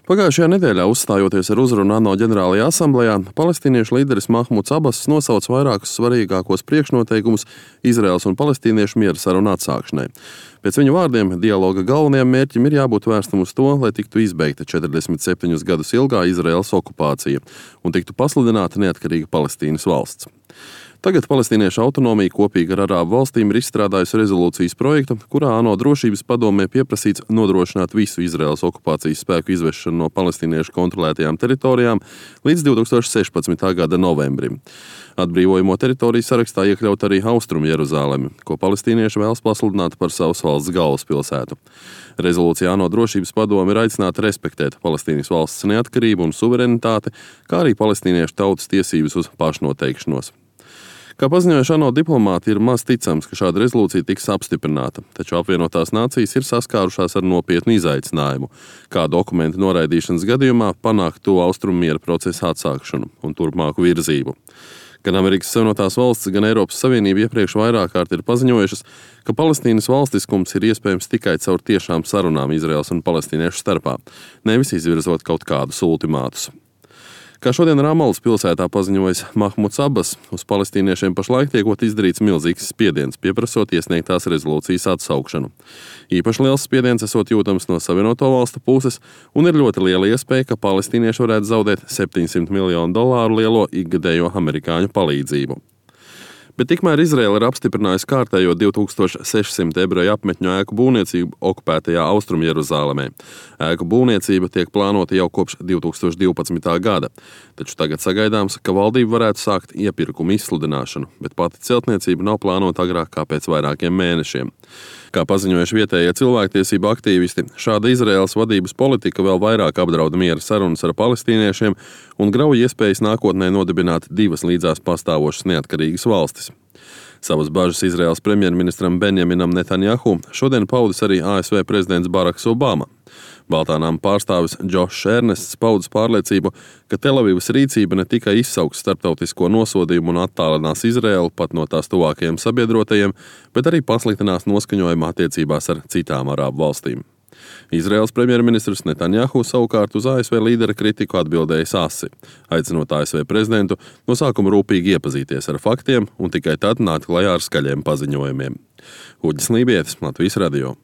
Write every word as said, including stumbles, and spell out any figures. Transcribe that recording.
Pagājušajā nedēļā, uzstājoties ar uzrunu ANO ģenerālajā asamblejā, palestīniešu līderis Mahmuds Abass nosauca vairākus svarīgākos priekšnoteikumus Izraēlas un palestīniešu miera sarunu atsākšanai. Pēc viņa vārdiem, dialoga galvenajam mērķim ir jābūt vērstam uz to, lai tiktu izbeigta četrdesmit septiņus gadus ilgā Izraēlas okupācija un tiktu pasludināta neatkarīga Palestīnas valsts. Tagad palestīniešu autonomija kopīgi ar Arābu valstīm ir izstrādājusi rezolūcijas projektu, kurā ANO drošības padomē pieprasīts nodrošināt visu Izraēlas okupācijas spēku izvešanu no palestīniešu kontrolētajām teritorijām līdz divi tūkstoši sešpadsmitā gada novembrim. Atbrīvojamo teritoriju sarakstā iekļaut arī Austrumu Jeruzalemi, ko palestīnieši vēlas pasludināt par savas valsts galvaspilsētu. Rezolūcijā ANO drošības padome ir aicināta respektēt Palestīnas valsts neatkarību un suverenitāti, kā arī palestīniešu tautas tiesības uz pašnoteikšanos. Kā paziņojuši ANO diplomāti, ir maz ticams, ka šāda rezolūcija tiks apstiprināta, taču apvienotās nācijas ir saskārušās ar nopietnu izaicinājumu, kā dokumentu noraidīšanas gadījumā panākt to austrumu miera procesa atsākšanu un turpmāku virzību. Gan Amerikas Savienotās valstis, gan Eiropas Savienība iepriekš vairāk kārt ir paziņojušas, ka Palestīnas valstiskums ir iespējams tikai caur tiešām sarunām Izraēlas un palestīniešu starpā, nevis izvirzot kaut kādus ultimātus. Kā šodien Ramalas pilsētā paziņojis Mahmuds Abass, uz palestīniešiem pašlaik tiekot izdarīts milzīgs spiediens, pieprasot iesniegtās rezolūcijas atsaukšanu. Īpaši liels spiediens esot jūtams no Savienoto valstu puses, un ir ļoti liela iespēja, ka palestīnieši varētu zaudēt septiņsimt miljonu dolāru lielo ikgadējo amerikāņu palīdzību. Bet tikmēr Izraēla ir apstiprinājusi kārtējo divi tūkstoši sešsimt ebreju apmetņu ēku būvniecību okupētajā Austrumu Jeruzālēmē. Ēku būvniecība tiek plānota jau kopš divi tūkstoši divpadsmitā gada, taču tagad sagaidāms, ka valdība varētu sākt iepirkumu izsludināšanu, bet pati celtniecība nav plānota agrāk kā pēc vairākiem mēnešiem. Kā paziņojuši vietējie cilvēktiesību aktīvisti, šāda Izraēlas vadības politika vēl vairāk apdraud miera sarunas ar palestīniešiem un grauj iespējas nākotnē nodibināt divas līdzās pastāvošas neatkarīgas valstis. Savas bažas Izraēlas premjerministram Benjaminam Netanjahu šodien paudis arī A S V prezidents Baraks Obama. Baltānām pārstāvis Džošs Ernests paudis pārliecību, ka Telavivas rīcība ne tikai izsauks starptautisko nosodījumu un attālinās Izraēlu pat no tās tuvākajiem sabiedrotajiem, bet arī pasliktinās noskaņojumu attiecībās ar citām arābu valstīm. Izraēlas premjerministrs Netanjahu savukārt uz A S V līdera kritiku atbildējis asi, aicinot A S V prezidentu no sākuma rūpīgi iepazīties ar faktiem un tikai tad nākt klajā ar skaļiem paziņojumiem. Uģis Lībietis, Latvijas radio.